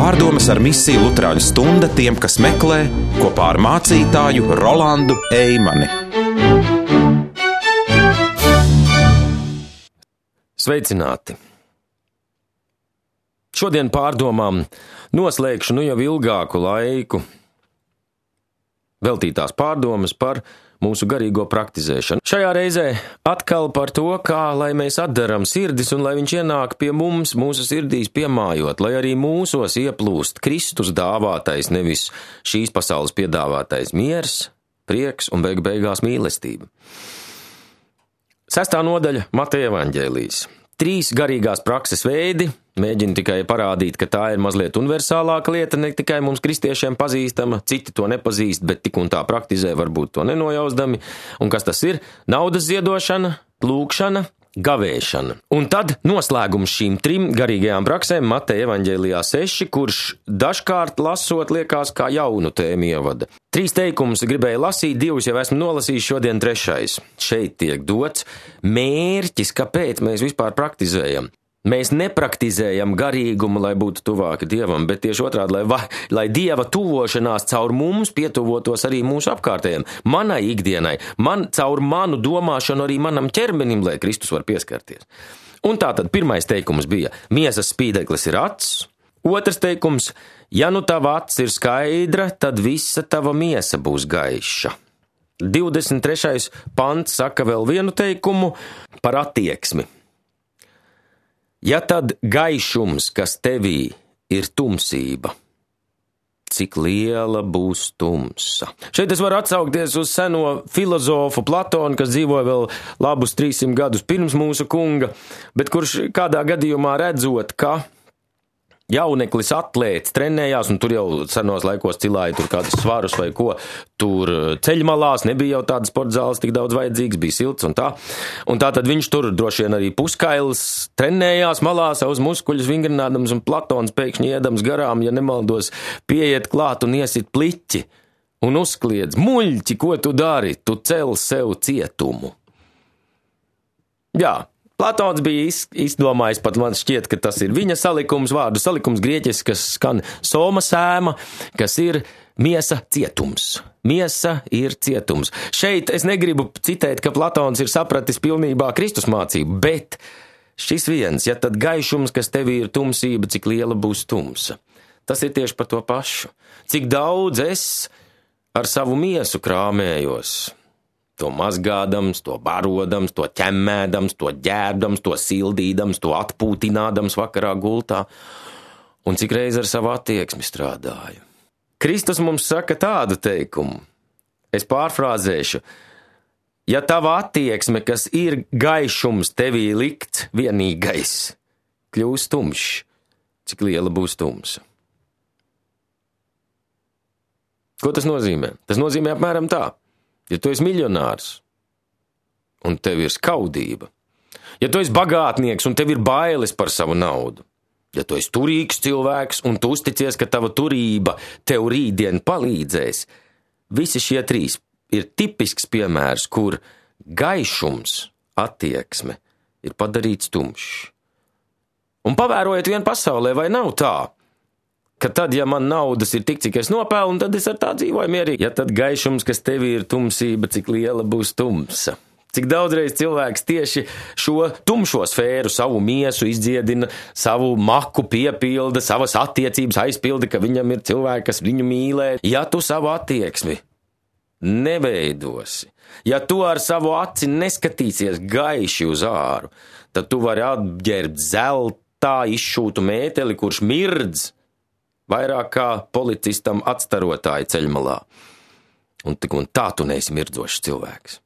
Pārdomas ar misiju Luterāņu stunda tiem, kas meklē, kopā ar mācītāju Rolandu Eimani. Sveicināti! Šodien pārdomām noslēgšu jau ilgāku laiku veltītās pārdomas par mūsu garīgo praktizēšanu. Šajā reizē atkal par to, kā lai mēs atdaram sirdis un lai viņš ienāk pie mums, mūsu sirdīs piemājot, lai arī mūsos ieplūst Kristus dāvātais, nevis šīs pasaules piedāvātais miers, prieks un beigās mīlestība. 6. nodaļa Mateja evaņģēlijs. 3 garīgās prakses veidi, mēģinu tikai parādīt, ka tā ir mazliet universālāka lieta, ne tikai mums kristiešiem pazīstama, citi to nepazīst, bet tik un tā praktizē, varbūt to nenojausdami. Un kas tas ir? Naudas ziedošana, lūgšana, gavēšana. Un tad noslēgums šīm 3 garīgajām praksēm Mateja evaņģēlijā 6, kurš dažkārt lasot liekas kā jaunu tēmu ievada. 3 teikumus gribēju lasīt, 2 jau esmu nolasījis, šodien 3. Šeit tiek dots mērķis, kāpēc mēs vispār praktizējam. Mēs nepraktizējam garīgumu, lai būtu tuvāki Dievam, bet tieši otrādi, lai Dieva tuvošanās caur mums pietuvotos arī mūsu apkārtējiem, manai ikdienai, caur manu domāšanu arī manam ķermenim, lai Kristus var pieskarties. Un tātad 1. teikums bija, miesas spīdeklis ir acs. 2. teikums, ja nu tava acs ir skaidra, tad visa tava miesa būs gaiša. 23. pants saka vēl vienu teikumu par attieksmi. Ja tad gaišums, kas tevī ir tumsība, cik liela būs tumsa? Šeit es varu atsaukties uz seno filozofu Platonu, kas dzīvoja vēl labus 300 gadus pirms mūsu kunga, bet kurš kādā gadījumā redzot, ka jauneklis atlēts trenējās, un tur jau senos laikos cilāja tur kādus svarus vai ko, tur ceļmalās, nebija jau tādas sportzāles tik daudz vajadzīgs, bija silts un tā. Un tātad viņš tur droši vien arī puskails trenējās malā, savus muskuļus vingrinādams, un Platons pēkšņi iedams garām, ja nemaldos, pieiet klāt un iesit pliķi un uzkliedz: muļķi, ko tu dari? Tu cel sev cietumu. Jā. Platons bija izdomājis, pat man šķiet, ka tas ir viņa salikums, vārdu salikums grieķis, kas skan soma sēma, kas ir miesa cietums. Miesa ir cietums. Šeit es negribu citēt, ka Platons ir sapratis pilnībā Kristus mācību, bet šis viens, ja tad gaišums, kas tevī ir tumsība, cik liela būs tumsa. Tas ir tieši par to pašu. Cik daudz es ar savu miesu krāmējos, to mazgādams, to barodams, to ķemmēdams, to ģērbdams, to sildīdams, to atpūtinādams vakarā gultā, un cik reiz ar savu attieksmi strādāju. Kristus mums saka tādu teikumu, es pārfrāzēšu: ja tava attieksme, kas ir gaišums tevī likts vienīgais, kļūs tumšs, cik liela būs tumsa. Ko tas nozīmē? Tas nozīmē apmēram tā. Ja tu esi miljonārs un tev ir skaudība, ja tu esi bagātnieks un tev ir bailes par savu naudu, ja tu esi turīgs cilvēks un tu uzticies, ka tava turība tev rītdien palīdzēs, visi šie 3 ir tipisks piemērs, kur gaišums, attieksme ir padarīts tumšs. Un pavērojiet vien pasaulē, vai nav tā, ka tad, ja man naudas ir tik, cik es nopelnu, tad es ar tā dzīvoju mierīgi. Ja tad gaišums, kas tevī ir tumsība, cik liela būs tumsa. Cik daudzreiz cilvēks tieši šo tumšo sfēru, savu miesu izdziedina, savu maku piepilda, savas attiecības aizpilda, ka viņam ir cilvēki, kas viņu mīlē. Ja tu savu attieksmi neveidosi, ja tu ar savu aci neskatīsies gaiši uz āru, tad tu vari apģērbt zeltā izšūtu mēteli, kurš mirdz vairāk kā policistam atstarotāji ceļmalā. Un tā tu neesi mirdzošs cilvēks.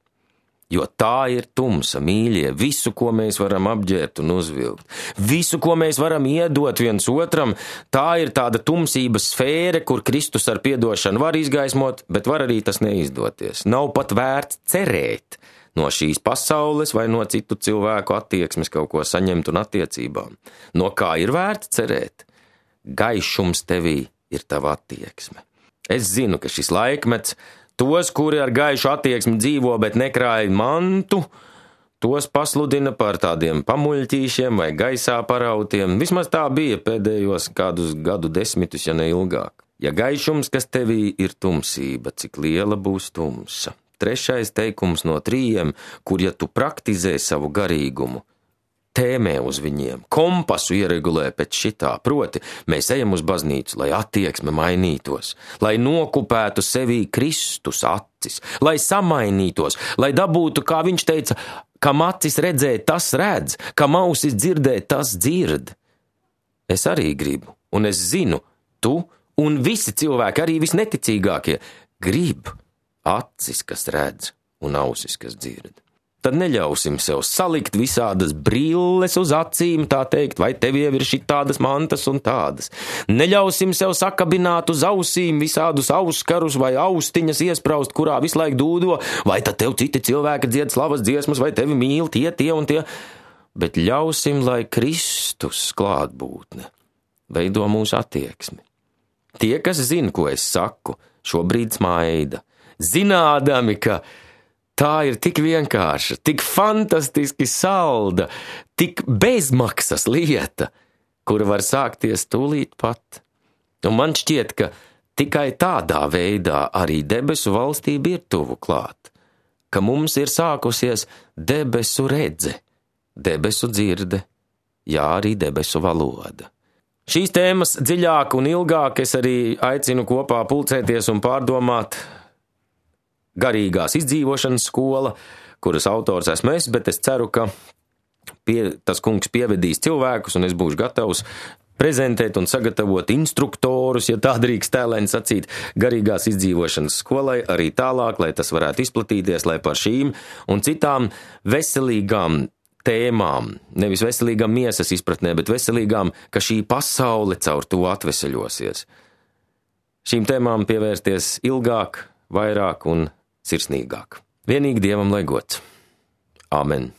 Jo tā ir tumsa, mīļie, visu, ko mēs varam apģērbt un uzvilkt. Visu, ko mēs varam iedot viens otram, tā ir tāda tumsības sfēra, kur Kristus ar piedošanu var izgaismot, bet var arī tas neizdoties. Nav pat vērts cerēt no šīs pasaules vai no citu cilvēku attieksmes kaut ko saņemt un attiecībām. No kā ir vērts cerēt? Gaišums tevī ir tava attieksme. Es zinu, ka šis laikmets tos, kuri ar gaišu attieksmi dzīvo, bet nekrāj mantu, tos pasludina par tādiem pamuļķīšiem vai gaisā parautiem. Vismaz tā bija pēdējos kādus gadu desmitus, ja ne ilgāk. Ja gaišums, kas tevī ir tumsība, cik liela būs tumsa. 3. teikums no 3, kur ja tu praktizē savu garīgumu, tēmē uz viņiem, kompasu ieregulē pēc šitā, proti, mēs ejam uz baznīcu, lai attieksme mainītos, lai nokupētu sevī Kristus acis, lai samainītos, lai dabūtu, kā viņš teica, kam acis redzē, tas redz, kam ausis dzirdē, tas dzird. Es arī gribu, un es zinu, tu un visi cilvēki, arī visneticīgākie, grib acis, kas redz, un ausis, kas dzird. Tad neļausim sev salikt visādas brilles uz acīm, tā teikt, vai tev jau ir šitādas mantas un tādas. Neļausim sev sakabināt uz ausīm visādus auskarus vai austiņas iespraust, kurā visu laiku dūdo, vai tad tev citi cilvēki dzied slavas dziesmas, vai tevi mīl tie un tie. Bet ļausim, lai Kristus klātbūtne veido mūsu attieksmi. Tie, kas zina, ko es saku, šobrīd smaida, zinādami, ka tā ir tik vienkārša, tik fantastiski salda, tik bezmaksas lieta, kura var sākties tūlīt pat. Un man šķiet, ka tikai tādā veidā arī debesu valstība ir tuvu klāt, ka mums ir sākusies debesu redze, debesu dzirde, jā, arī debesu valoda. Šīs tēmas dziļāk un ilgāk es arī aicinu kopā pulcēties un pārdomāt garīgās izdzīvošanas skola, kuras autors esmu es, bet es ceru, ka tas kungs pievedīs cilvēkus, un es būšu gatavs prezentēt un sagatavot instruktorus, ja tā drīkst tēlēni sacīt, garīgās izdzīvošanas skolai arī tālāk, lai tas varētu izplatīties, lai par šīm un citām veselīgām tēmām, nevis veselīgām miesas izpratnē, bet veselīgām, ka šī pasaule caur to atveseļosies. Šīm tēmām pievērsties ilgāk, vairāk un sirsnīgāk. Vienīgi Dievam lai gods. Āmen.